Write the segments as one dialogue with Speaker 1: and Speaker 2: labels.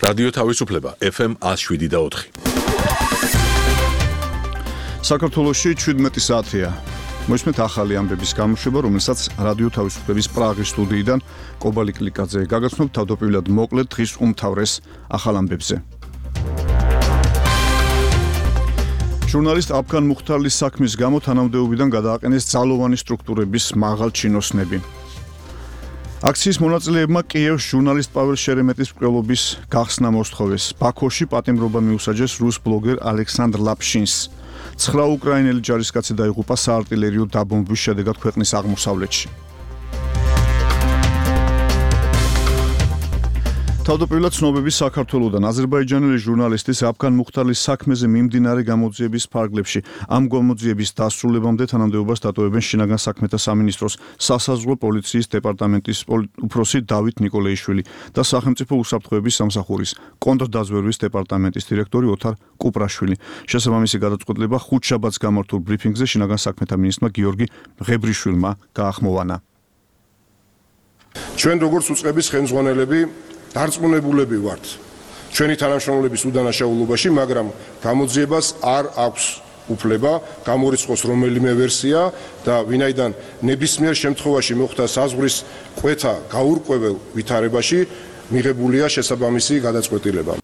Speaker 1: რადიო თავისუფლება FM 107.4.
Speaker 2: საქართველოში 17 საათია. მოისმენთ ახალი ამბების გამოშვება, რომელსაც რადიო თავისუფლების პრაღის სტუდიიდან კობალი კლიკაძე გაგაცნობ თავდაპირველად მოკლედ დღის უმთავრეს ახალ ამბებზე. ჟურნალისტ აფგან მუხთარლის საქმის გამო თანამდებობიდან გადააყენეს ძალოვანი სტრუქტურების მაღალ ჩინოსნები. აქციის მონაწილეებმა კიევს ჟურნალისტ პაվել შერემეტის მკვლელობის გახსნა მოსთხოვეს. ბაქოში პატიმრობა მიუსაჯეს რუს ბლოგერ ალექსანდრ ლაპშინს. 9 უკრაინელი ჯარისკაცი დაიღუპა საარტილერიო დაბომბვის შედეგად ქვეყნის აღმოსავლეთში. თავდაპირველად ცნობები საქართველოდან აზერბაიჯანელი ჟურნალისტის აფგან მუხთარლის საქმეზე მიმდინარე გამოძიების ფარგლებში ამ გამოძიების დასრულებამდე თანამდებობას დატოვებენ შინაგან საქმეთა სამინისტროს სასაზღვრო პოლიციის დეპარტამენტის უფროსი დავით ნიკოლეიშვილი და სახელმწიფო უსაფრთხოების სამსახურის კონტრდაზვერვის დეპარტამენტის დირექტორი ოთარ კუპრაშვილი. შესაბამისი გადაწყვეტილება ხუთშაბათს გამართულ ბრიფინგზე შინაგან საქმეთა მინისტრმა გიორგი ღებრიშვილმა გაახმოვანა.
Speaker 3: ჩვენ როგორც უწყების ხელმძღვანელები დარწმუნებულები ვართ ჩვენი თანამშრომლების უდანაშაულობაში, მაგრამ გამოძიებას არ აქვს უფლება გამორიცხოს რომელიმე ვერსია და ვინაიდან ნებისმიერ შემთხვევაში მოხდა საზღვრის კვეთა გაურკვეველ ვითარებაში მიღებულია შესაბამისი გადაწყვეტილება.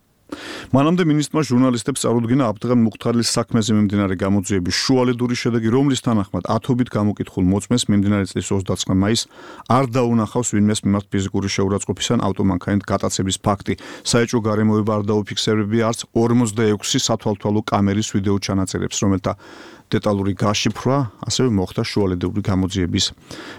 Speaker 2: მანამდე მინისტრმა ჟურნალისტებს წარუდგინა აფგან მუხთარლის საქმეზე მიმდინარე გამოძიების შუალედური შედეგი, რომლის თანახმად ათობით გამოკითხულ მოწმეს მიმდინარე წლის 29 მაისს არ დაუნახავს ვინმეს მიმართ ფიზიკური შეურაცხყოფის ან ავტომანქანით გატაცების ფაქტი. საეჭვო გარემოება არ დაუფიქსირებია არც 46 სათვალთვალო კამერის ვიდეო ჩანაწერებს, რომელთა დეტალური გაშიფრვა ასევე მოხდა შუალედური გამოძიების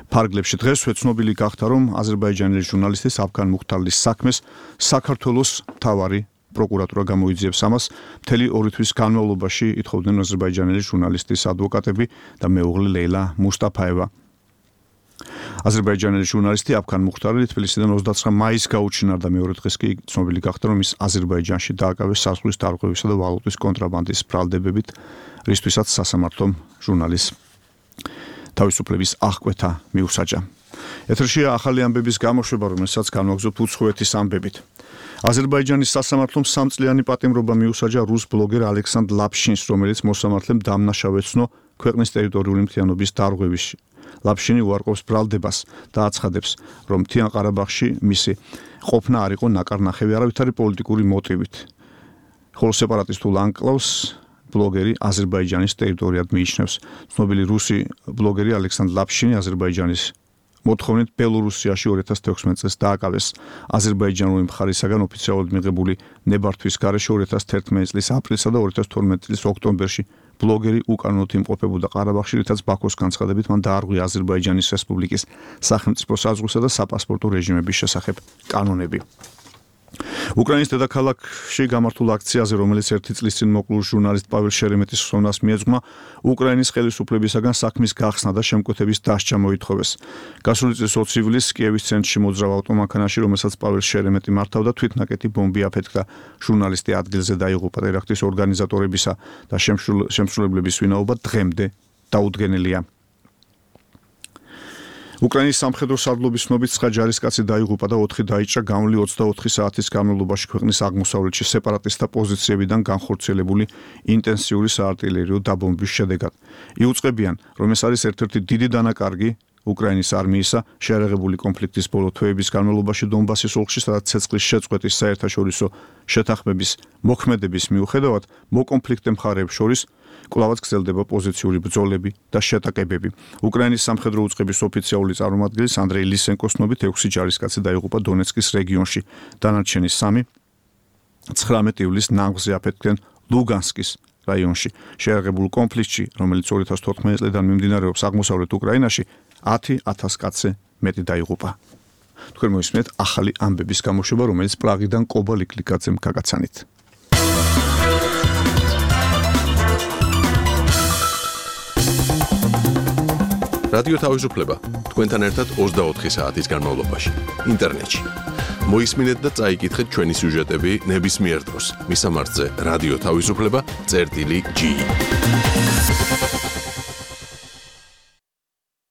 Speaker 2: ფარგლებში. დღესვე ცნობილი გახდა, რომ აზერბაიჯანელი ჟურნალისტის აფგან მუხთარლის საქმეს საქართველოს მთავარი პროკურატურა გამოიძიებს ამას. მთელი 2 თვის განმავლობაში ითხოვდნენ აზერბაიჯანელი ჟურნალისტის ადვოკატები და მეუღლე ლეილა მუსტაფაევა. აზერბაიჯანელი ჟურნალისტი აფგან მუხთარი თბილისიდან 29 მაისს გაუჩინარდა. მეორე დღეს კი ცნობილი გახდა, რომ ის აზერბაიჯანში დააკავეს საზღვრის დარღვევისა და ვალუტის კონტრაბანდის ბრალდებებით, რისთვისაც სასამართლომ ჟურნალის თავისუფლების აღკვეთა მიუსაჯა. ეთერშია ახალი ამბების გამოშვება, რომელსაც განვაგრძობთ უცხოეთის ამბებით. აზერბაიჯანის სასამართლომ 3 წლიანი პატიმრობა მიუსაჯა რუს ბლოგერ ალექსანდრ ლაპშინს, რომელიც მოსამართლემ დამნაშავეცნო ქვეყნის ტერიტორიული მთლიანობის დარღვევაში. ლაპშინი უარყოფს ბრალდებას და აცხადებს, რომ მთიან ყარაბაღში მისი ყოფნა არ იყო ნაკარნახევი არავითარი პოლიტიკური მოტივით. ხოლო სეპარატისტულ ანკლავს ბლოგერი აზერბაიჯანის ტერიტორიად მიიჩნევს. ცნობილი რუსი ბლოგერი ალექსანდრ ლაპშინი აზერბაიჯანის მოთხოვნით ბელორუსიაში 2016 წელს დააკავეს. აზერბაიჯანული მხარისაგან ოფიციალურად მიღებული ნებართვის გარეშე 2011 წლის აპრილსა და 2012 წლის ოქტომბერში ბლოგერი უკანონოდ იმყოფებოდა ყარაბაღში, რითაც ბაქოს განცხადებით მან დაარღვია აზერბაიჯანის რესპუბლიკის სახელმწიფო საზღვრისა და საპასპორტო რეჟიმების შესახებ კანონები. უკრაინის დედაქალაქში გამართულ აქციაზე, რომელიც 1 წლის წინ მოკლულ ჟურნალისტ პაվել შერემეტის ხსოვნას მიეძღვნა, უკრაინის ხელისუფლებისაგან საქმის გახსნა და შემკვეთების დასჯა მოითხოვეს. გასული წლის 20 ივლისს კიევის ცენტრში მოძრავ ავტომანქანაში, რომელსაც პაվել შერემეტი მართავდა, თვითნაკეტი ბომბი აფეთქდა. ჟურნალისტი ადგილზე დაიღუპა. ტერაქტის ორგანიზატორებისა და შემსრულებლების ვინაობა დღემდე დაუდგენელია. უკრაინის სამხედრო სარდლობის ცნობით 9 ჯარისკაცი დაიღუპა და 4 დაიჭრა გამლი 24 საათის განმავლობაში ქვეყნის აღმოსავლეთში სეპარატისტთა პოზიციებიდან განხორციელებული ინტენსიური საარტილერიო დაბომბვის შედეგად. იუწყებიან, რომ ეს არის ერთ-ერთი დიდი დანაკარგი უკრაინის არმიისა შეერაღებული კონფლიქტის ბოლო თვეების განმავლობაში დონბასის ოლქში, სადაც ცეცხლის შეწყვეტის საერთაშორისო შეთანხმების მოქმედების მიუხედავად მოკონფლიქტე მხარეებს შორის კვლავაც გრძელდება პოზიციური ბრძოლები და შეტაკებები. უკრაინის სამხედრო უწყების ოფიციალური წარმომადგენლის ანდრეი ლისენკოს ცნობით 6 ჯარისკაცი დაიღუპა დონეცკის რეგიონში. დანარჩენი 3 19 ივლისს ნაღვზე აფეთქდნენ ლუგანსკის რაიონში. შეერაღებულ კონფლიქტში, რომელიც 2014 წლიდან მიმდინარეობს აღმოსავლეთ უკრაინაში, 10,000 კაცზე მეტი დაიღუპა. თქვენ მოისმენთ ახალი ამბების გამოშვება, რომელიც პრაღიდან კობალი კლიკაძემ გაგაცანით.
Speaker 1: რადიო თავისუფლება თქვენთან ერთად 24 საათის განმავლობაში ინტერნეტში. მოისმინეთ და წაიკითხეთ ჩვენი სიუჟეტები ნებისმიერ დროს. მისამართზე რადიო თავისუფლება.ge